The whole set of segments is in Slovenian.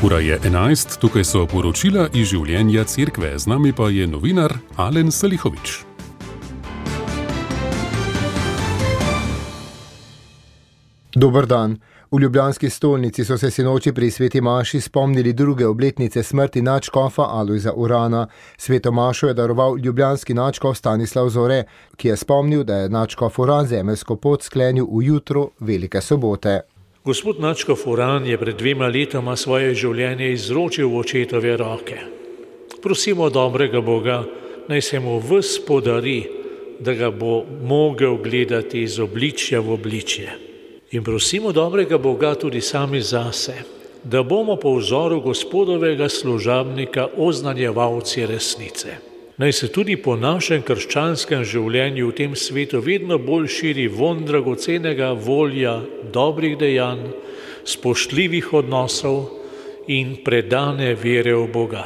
Ura je 11, tukaj so poročila iz življenja cerkve, z nami pa je novinar Alen Salihovič. Dober dan. V ljubljanski stolnici so se sinoči pri sveti maši spomnili druge obletnice smrti nadškofa Alojza Urana. Sveto mašo je daroval ljubljanski nadškof Stanislav Zore, ki je spomnil, da je nadškof Uran zemeljsko pot sklenil v jutro Velike sobote. Gospod nadškof Uran je pred 2 letoma svoje življenje izročil v očetove roke. Prosimo dobrega Boga, naj se mu ves podari, da ga bo mogel gledati iz obličja v obličje. In prosimo dobrega Boga tudi sami zase, da bomo po vzoru gospodovega služabnika oznanjevalci resnice. Naj se tudi po našem krščanskem življenju v tem svetu vedno bolj širi vonj dragocenega volja, dobrih dejanj, spoštljivih odnosov in predane vere v Boga.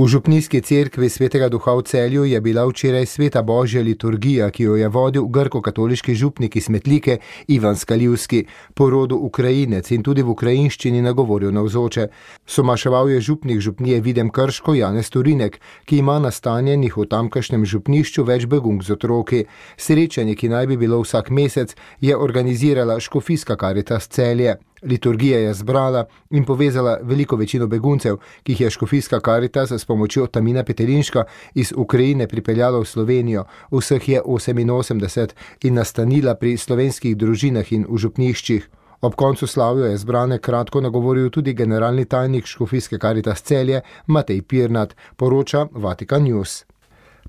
V župnijski cerkvi Svetega Duha v Celju je bila včeraj sveta božja liturgija, ki jo je vodil grko-katoliški župnik iz Metlike Ivan Skaljivski, po rodu Ukrajinec in tudi v ukrajinščini nagovoril navzoče. Somaševal je župnik župnije Videm Krško Janez Turinek, ki ima nastanjenih v tamkajšnjem župnišču več begunk z otroki. Srečanje, ki naj bi bilo vsak mesec, je organizirala škofijska Karitas Celje. Liturgija je zbrala in povezala veliko večino beguncev, ki jih je škofijska Karitas s pomočjo Tamina Petelinška iz Ukrajine pripeljala v Slovenijo. Vseh je 88 in nastanila pri slovenskih družinah in v župniščih. Ob koncu slavja je zbrane kratko nagovoril tudi generalni tajnik škofijske Karitas Celje Matej Pirnat, poroča Vatikan News.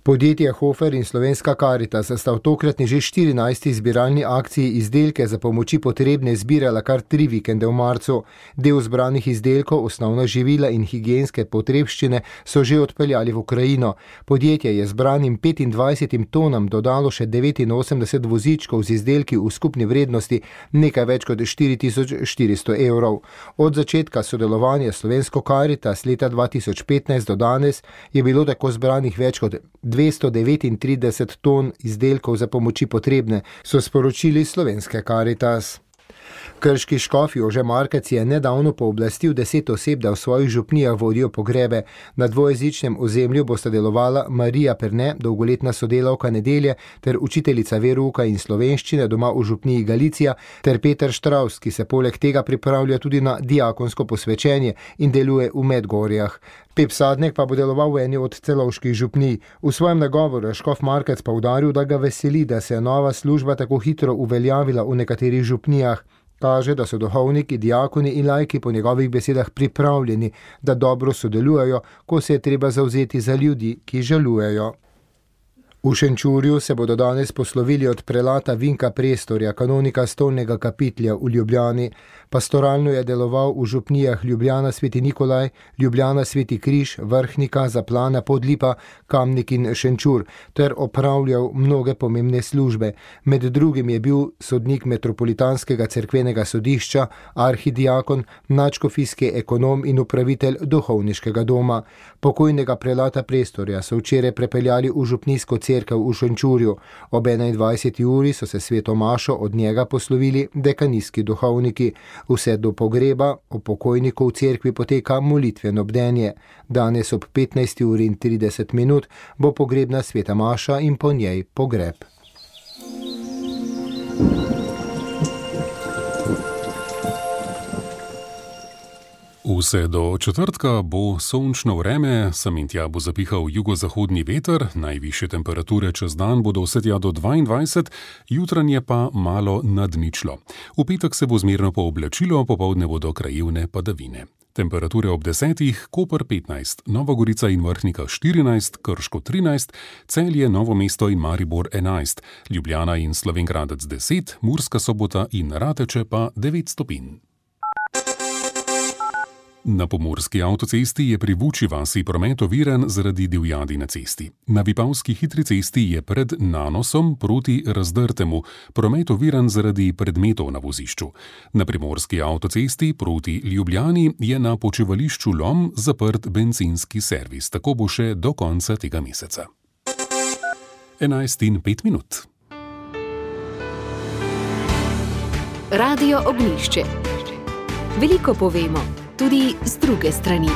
Podjetje Hofer in slovenska Karitas sta v tokratni že 14. zbiralni akciji izdelke za pomoči potrebne zbirala kar 3 vikende v marcu. Del zbranih izdelkov, osnovna živila in higienske potrebščine so že odpeljali v Ukrajino. Podjetje je zbranim 25 tonam dodalo še 89 vozičkov z izdelki v skupni vrednosti nekaj več kot 4400 evrov. Od začetka sodelovanja slovensko Karitas leta 2015 do danes je bilo tako zbranih več kot 239 ton izdelkov za pomoči potrebne, so sporočili slovenske Karitas. Krški škof Jože Markec je nedavno pooblastil 10 oseb, da v svojih župnijah vodijo pogrebe. Na dvojezičnem ozemlju bosta delovala Marija Perne, dolgoletna sodelavka Nedelje, ter učiteljica verouka in slovenščine doma v župniji Galicija, ter Peter Štravs, ki se poleg tega pripravlja tudi na diakonsko posvečenje in deluje v Medgorjah. Pep Sadnek pa bo deloval v eni od celovških župnij. V svojem nagovoru je škof Markec poudaril, da ga veseli, da se je nova služba tako hitro uveljavila v nekaterih župnijah. Kaže, da so duhovniki, diakoni in laiki po njegovih besedah pripravljeni, da dobro sodelujejo, ko se je treba zavzeti za ljudi, ki žalujejo. V Šenčurju se bodo danes poslovili od prelata Vinka Prestorja, kanonika stolnega kapitlja v Ljubljani. Pastoralno je deloval v župnijah Ljubljana Sveti Nikolaj, Ljubljana Sveti Križ, Vrhnika, Zaplana, Podlipa, Kamnik in Šenčur, ter opravljal mnoge pomembne službe. Med drugim je bil sodnik metropolitanskega cerkvenega sodišča, arhidiakon, nadškofijski ekonom in upravitelj duhovniškega doma. Pokojnega prelata Prestorja so včeraj prepeljali v župnijsko cerkev v Šenčurju. Ob 21. uri so se sveto mašo od njega poslovili dekanijski duhovniki. Vse do pogreba o pokojniku v cerkvi poteka molitveno bdenje. Danes ob 15:30 bo pogrebna sveta maša in po njej pogreb. Vse do četrtka bo sončno vreme, sem in tja bo zapihal jugozahodni veter, najvišje temperature čez dan bodo vse tja do 22, jutranje pa malo nad ničlo. V petek se bo zmerno pooblačilo, popoldne bodo krajevne padavine. Temperature ob 10, Koper 15, Nova Gorica in Vrhnika 14, Krško 13, Celje, Novo mesto in Maribor 11, Ljubljana in Slovenj Gradec 10, Murska Sobota in Rateče pa 9 stopinj. Na pomurski avtocesti je pri Vučji vasi promet oviran zaradi divjadi na cesti. Na Vipavski hitri cesti je pred Nanosom proti Razdrtemu promet oviran zaradi predmetov na vozišču. Na primorski avtocesti proti Ljubljani je na počivališču Lom zaprt bencinski servis. Tako bo še do konca tega meseca. 11:05. Radio Ognjišče. Veliko povemo, tudi z druge strani.